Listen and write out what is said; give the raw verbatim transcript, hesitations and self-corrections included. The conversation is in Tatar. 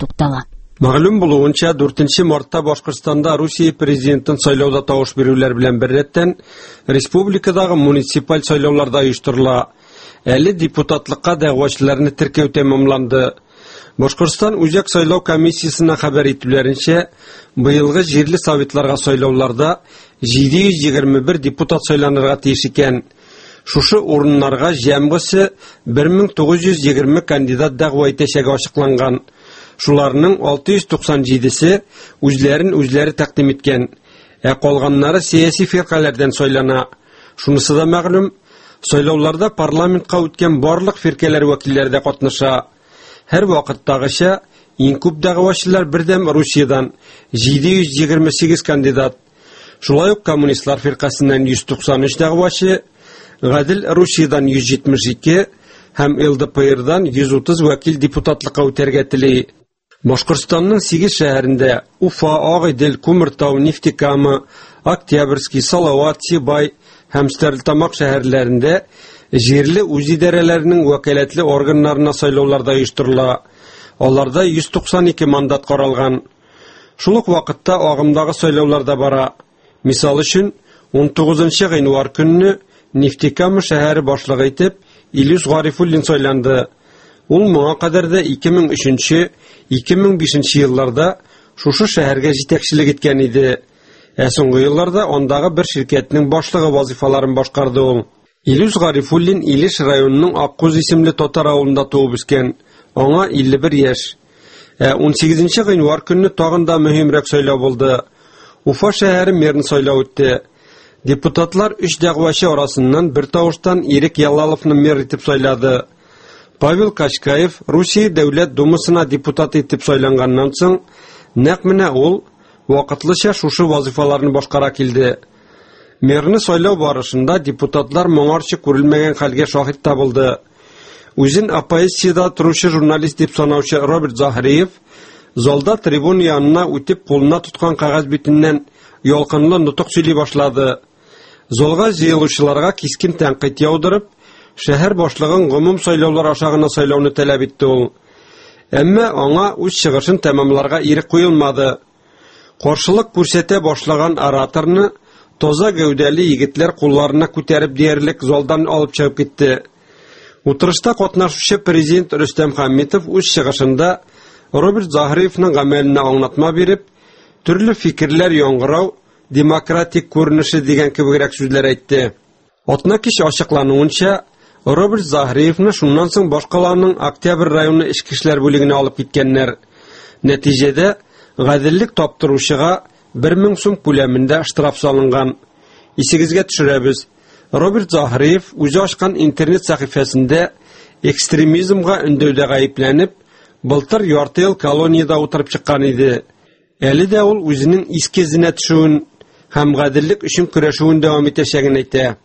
Туктала. Мәгълүм булуынча, дүртенче мартта Башкортстанда Русия президентын сайлауда тавыш бирүләр белән беррәттән республикадагы муниципаль сайлаулар да оештырыла. Әле депутатлыкка дәгъвачыларны теркәү тәмамланды. Башкортстан Үзәк сайлау комиссиясенә хәбәр итүләренчә, быелгы җирле советларга сайлауларда җиде йөз егерме бер депутат сайланырга тиеш икән. Шушы урыннарга җәмгысе бер мең тугыз йөз егерме кандидат дәгъва итәчәге ачыкланган. Шуларның алты йөз туксан җидесе үзләрен үзләре тәкъдим иткән, ә калганнары сәяси фиркаләрдән сайлана. Шунысы да мәгълүм, сайлауларда парламентка үткән барлык фиркәләр вәкилләре дә катнаша. Һәр вакыттагыча иң күп дәгъвачылар Бердәм Русиядән җиде йөз егерме сигез кандидат. Шулай ук Коммунистлар фиркасеннән йөз туксан өч дәгъвачы, Гадел Русиядән йөз җитмеш ике һәм Эл Дэ Пэ Эрдан йөз утыз вәкил депутатлыкка үтәргә тели. Башкортстанның сигез шәһәрендә Уфа, Агыйдел, Күмертау, Нефтекама, Октябрьский, Салават, Сибай һәм Стәрлетамак шәһәрләрендә җирле үзидарәләрнең вәкаләтле органнарына сайлаулар да оештырыла. Аларда йөз туксан ике мандат каралган. Шул ук вакытта агымдагы сайлаулар да бара. Мисал өчен, ун тугызынчы гыйнвар көнне Нефтекама шәһәре башлыгы итеп Илюс Гарифуллин сайланды. Ул моңа кадәр дә ике мең өченче, ике мең бишенче елларда шушы шәһәргә җитәкчелек иткән иде. Ә соңгы елларда андагы бер ширкәтнең башлыгы вазифаларын башкарды ул. Илюс Гарифуллин Илеш районының Аккуз исемле татар авылында туып үскән. Аңа илле бер яшь. Ә ун сигезенче гыйнвар көнне тагын да мөһимрәк сайлау булды. Уфа шәһәре мэрын сайлау үтте. Депутатлар өч дәгъвачы арасыннан бер тавыштан Ирек Ялаловны мэр итеп сайлады. Павел Качкаев Русия Дәүләт Думасына депутат итеп сайланганнан соң, нәкъ менә ул вакытлыча шушы вазифаларны башкара килде. Мэрны сайлау барышында депутатлар моңарчы күрелмәгән хәлгә шаһит табылды. Үзен оппозициядә торучы журналист дип санаучы Роберт Заһриев залда трибуна янына үтеп кулына тоткан кәгазь битеннән ялкынлы нотык сөйли башлады. Залга җыелучыларга кискен тәнкыйть яудырып, шәһәр башлыгын гомум сайлаулар аша гына сайлауны таләп итте ул. Әмма аңа үз чыгышын тәмамларга ирек куелмады. Каршылык күрсәтә башлаган ораторны таза гәүдәле егетләр кулларына күтәреп диярлек залдан алып чыгып китте. Утырышта катнашучы президент Рөстәм Хәмитов үз чыгышында Роберт Заһриевның гамәленә аңлатма биреп, төрле фикерләр яңгырау демократик күренеше дигән кебегрәк сүзләр әйтте. Атна кич ачыклануынча, Роберт Заһриевны шуннан соң башкаланың Октябрь районы эчке эшләр бүлегенә алып киткәннәр. Нәтиҗәдә гаделлек таптыручыга бер мең сум күләмендә штраф салынган. Исегезгә төшерәбез. Роберт Заһриев үзе ачкан интернет сәхифәсендә экстремизмга өндәүдә гаепләнеп, былтыр ярты ел колониядә утырып чыккан иде. Әле дә ул үзенең иске эзенә төшүен һәм гаделлек өчен көрәшүен дәвам итәчәген әйтә.